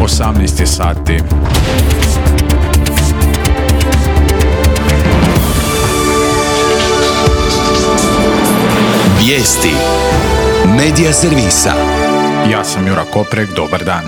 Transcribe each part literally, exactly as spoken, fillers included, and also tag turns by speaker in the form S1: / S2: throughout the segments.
S1: osamnaest je sati.
S2: Vijesti Medija servisa.
S1: Ja sam Jura Koprek, dobar dan.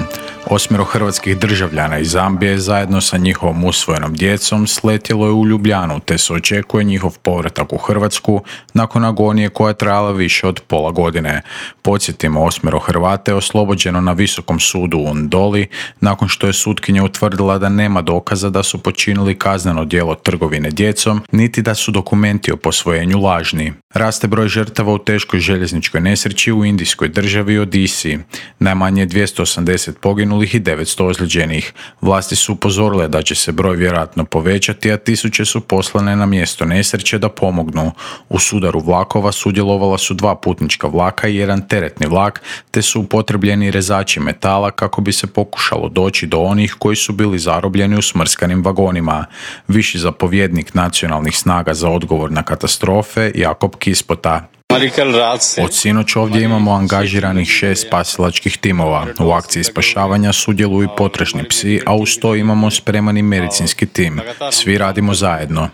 S1: Osmero hrvatskih državljana iz Zambije zajedno sa njihovom usvojenom djecom sletjelo je u Ljubljanu, te se očekuje njihov povratak u Hrvatsku nakon agonije koja je trajala više od pola godine. Podsjetimo, osmero Hrvata je oslobođeno na Visokom sudu u Ndoli nakon što je sutkinja utvrdila da nema dokaza da su počinili kazneno djelo trgovine djecom, niti da su dokumenti o posvojenju lažni. Raste broj žrtava u teškoj željezničkoj nesreći u indijskoj državi Odisiji. Najmanje dvjesto osamdeset poginulih i devetsto ozlijeđenih. Vlasti su upozorile da će se broj vjerojatno povećati, a tisuće su poslane na mjesto nesreće da pomognu. U sudaru vlakova sudjelovala su dva putnička vlaka i jedan teretni vlak, te su upotrebljeni rezači metala kako bi se pokušalo doći do onih koji su bili zarobljeni u smrskanim vagonima. Viši zapovjednik nacionalnih snaga za odgovor na katastrofe, Jakob Kispota. Od sinoć ovdje imamo angažiranih šest spasilačkih timova. U akciji spašavanja sudjeluju potražni psi, a uz to imamo spremani medicinski tim. Svi radimo zajedno.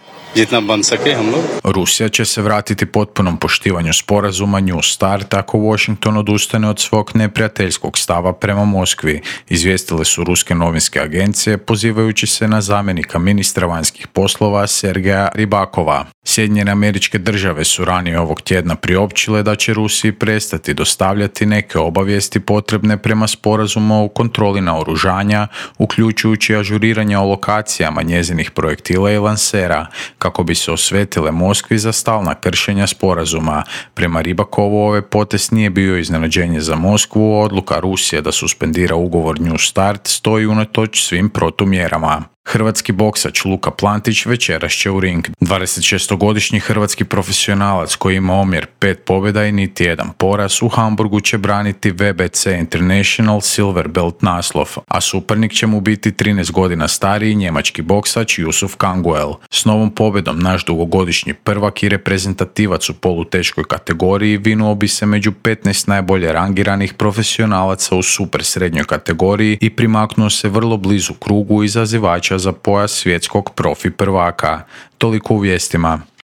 S1: Rusija će se vratiti potpunom poštivanju sporazuma New Start ako Washington odustane od svog neprijateljskog stava prema Moskvi, izvijestile su ruske novinske agencije pozivajući se na zamjenika ministra vanjskih poslova Sergeja Ribakova. Sjedinjene Američke Države su ranije ovog tjedna priopćile da će Rusiji prestati dostavljati neke obavijesti potrebne prema sporazumu o kontroli naoružanja, uključujući ažuriranje o lokacijama njezinih projektila i lansera, kako bi se osvetile Moskvi za stalna kršenja sporazuma. Prema Ribakovu ovaj potez nije bio iznenađenje za Moskvu, odluka Rusije da suspendira ugovor New Start stoji unatoč svim protumjerama. Hrvatski boksač Luka Plantić večeras će u ring. dvadesetšestogodišnji hrvatski profesionalac koji ima omjer pet pobjeda i niti jedan poraz u Hamburgu će braniti V B C International Silver Belt naslov, a suparnik će mu biti trinaest godina stariji njemački boksač Yusuf Kanguel. S novom pobjedom naš dugogodišnji prvak i reprezentativac u poluteškoj kategoriji vinuo bi se među petnaest najbolje rangiranih profesionalaca u super srednjoj kategoriji i primaknuo se vrlo blizu krugu izazivača za pojas svjetskog profi prvaka. Toliko u vijestima.